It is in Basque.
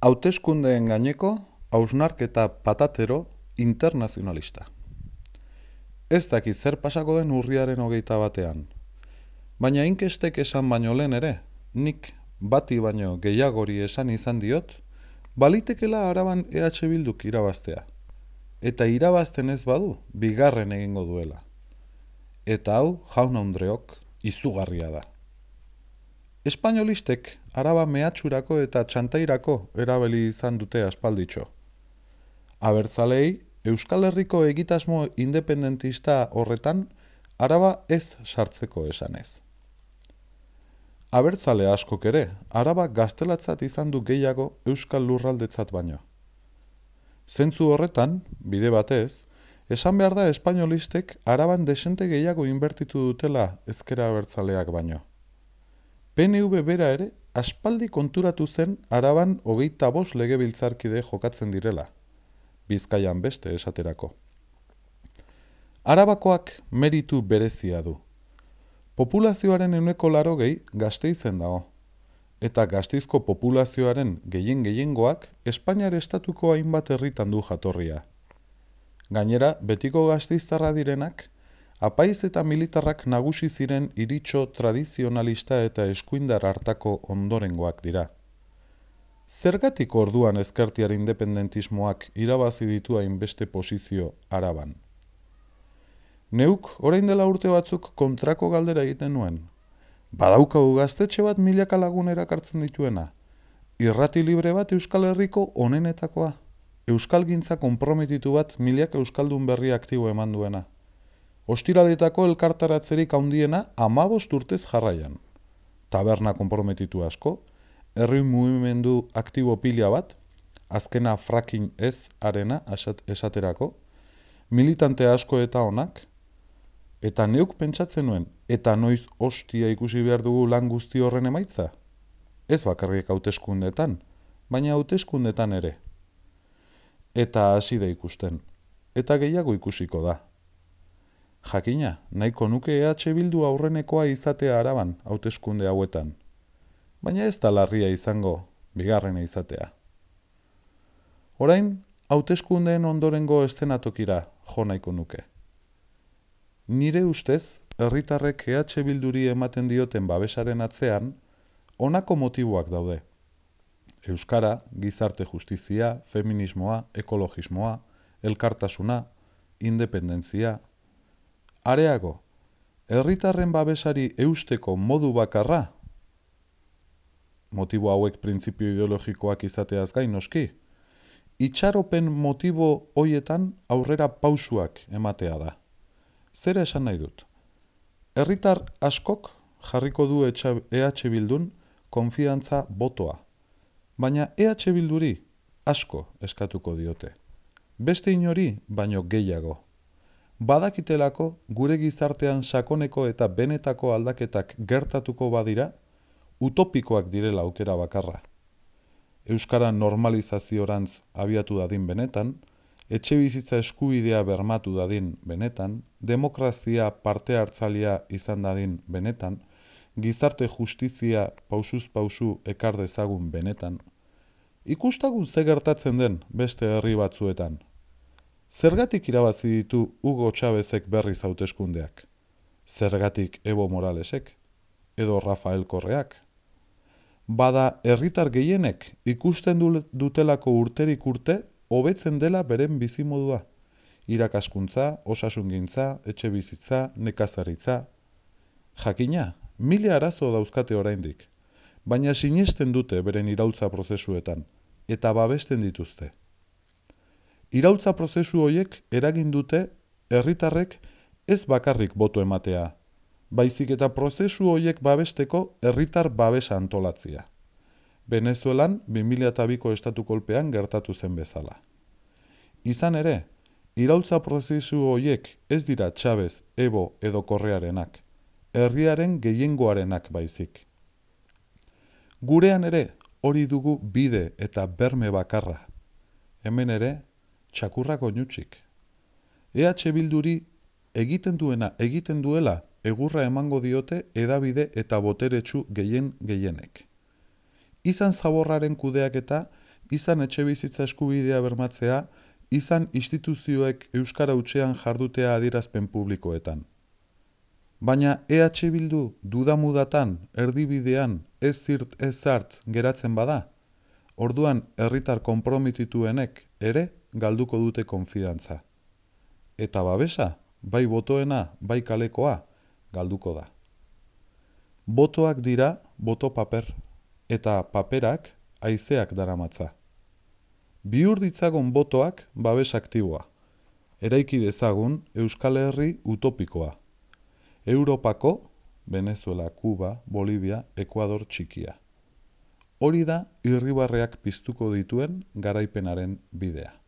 Hauteskundeen gaineko hausnarketa patatero internazionalista. Ez dakit zer pasako den urriaren 21. Baina inkestek esan baino lehen ere, nik bati baino gehiagori esan izan diot, balitekela Araban EH Bilduk irabaztea. Eta irabazten ez badu, bigarren egingo duela. Eta hau, jaun-andreok, izugarria da. Espainolistek Araba mehatxurako eta txantairako erabili izan dute aspalditxo. Abertzalei, Euskal Herriko egitasmo independentista horretan Araba ez sartzeko esanez. Abertzale askok ere, Araba gaztelatzat izan du gehiago Euskal Lurraldetzat baino. Zentzu horretan, bide batez, esan behar da espainolistek Araban desente gehiago inbertitu dutela ezkera abertzaleak baino. PNV bera ere, aspaldi konturatu zen Araban 25 legebiltzarkide jokatzen direla. Bizkaian beste esaterako. Arabakoak meritu berezia du. Populazioaren 80% Gasteizen dago. Eta Gasteizko populazioaren gehiengoak Espainiar estatuko hainbat herritan du jatorria. Gainera, betiko gasteiztarra direnak, apaiz eta militarrak nagusi ziren iritxo tradizionalista eta eskuindar hartako ondorengoak dira. Zergatik orduan ezkertiar independentismoak irabazi ditu hainbeste posizio Araban? Neuk, orain dela urte batzuk kontrako galdera egiten nuen. Badaukagu gaztetxe bat milaka lagun erakartzen dituena. Irrati libre bat Euskal Herriko onenetakoa. Euskalgintza konprometitu bat milaka euskaldun berri aktibo eman duena. Ostiraletako elkartaratzerik handiena 15 urtez jarraian. Taberna konprometitu asko, herri mugimendu aktibo pila bat, azkena fracking ez arena esaterako, militante asko eta onak, eta neuk pentsatzen nuen, eta noiz hostia ikusi behar dugu lan guzti horren emaitza? Ez bakarrik hauteskundetan, baina hauteskundetan ere. Eta hasi da ikusten, eta gehiago ikusiko da. Jakina, nahiko nuke EH Bildu aurrenekoa izatea Araban hauteskunde hauetan. Baina ez da larria izango, bigarrena izatea. Orain, hauteskundeen ondorengo eszenatokira jo nahiko nuke. Nire ustez, herritarrek EH Bilduri ematen dioten babesaren atzean, honako motiboak daude. Euskara, gizarte justizia, feminismoa, ekologismoa, elkartasuna, independentzia. Areago, herritarren babesari eusteko modu bakarra, motibo hauek printzipio ideologikoak izateaz gain noski, itxaropen motibo hoietan aurrera pausuak ematea da. Zera esan nahi dut? Herritar askok jarriko du EH Bildun konfiantza botoa, baina EH Bilduri asko eskatuko diote. Beste inori baino gehiago. Badakitelako gure gizartean sakoneko eta benetako aldaketak gertatuko badira, utopikoak direla aukera bakarra. Euskara normalizaziorantz abiatu dadin benetan, etxebizitza eskubidea bermatu dadin benetan, demokrazia parte hartzailea izan dadin benetan, gizarte justizia pausuz pausu ekar dezagun benetan. Ikustagun ze gertatzen den beste herri batzuetan. Zergatik irabazi ditu Hugo Chávezek berriz hauteskundeak? Zergatik Evo Moralesek? Edo Rafael Correak? Bada herritar gehienek ikusten dutelako urterik urte hobetzen dela beren bizimodua. Irakaskuntza, osasungintza, etxebizitza, nekazaritza. Jakina, 1000 arazo dauzkate oraindik, baina sinesten dute beren iraultza prozesuetan, eta babesten dituzte. Iraultza prozesu horiek eragin dute herritarrek ez bakarrik boto ematea, baizik eta prozesu horiek babesteko herritar babesa antolatzea. Venezuelan 2002ko estatu kolpean gertatu zen bezala. Izan ere, iraultza prozesu horiek ez dira Chávez, Evo edo Correarenak, herriaren gehiengoarenak baizik. Gurean ere hori dugu bide eta berme bakarra. Hemen ere, txakurrak oinutsik. EH Bilduri egiten duela egurra emango diote hedabide eta boteretsu gehienek. Izan zaborraren kudeaketa izan etxebizitza eskubidea bermatzea, izan instituzioek euskara hutsean jardutea adierazpen publikoetan. Baina EH Bildu dudamudatan, erdibidean, ez zirt ez zart geratzen bada, orduan herritar konpromitituenek ere galduko dute konfidantza. Eta babesa, bai botoena, bai kalekoa, galduko da. Botoak dira boto paper, eta paperak haizeak daramatza. Bihur ditzagun botoak babes aktiboa. Eraiki dezagun Euskal Herri utopikoa. Europako, Venezuela, Kuba, Bolivia, Ekuador txikia. Hori da irribarreak piztuko dituen garaipenaren bidea.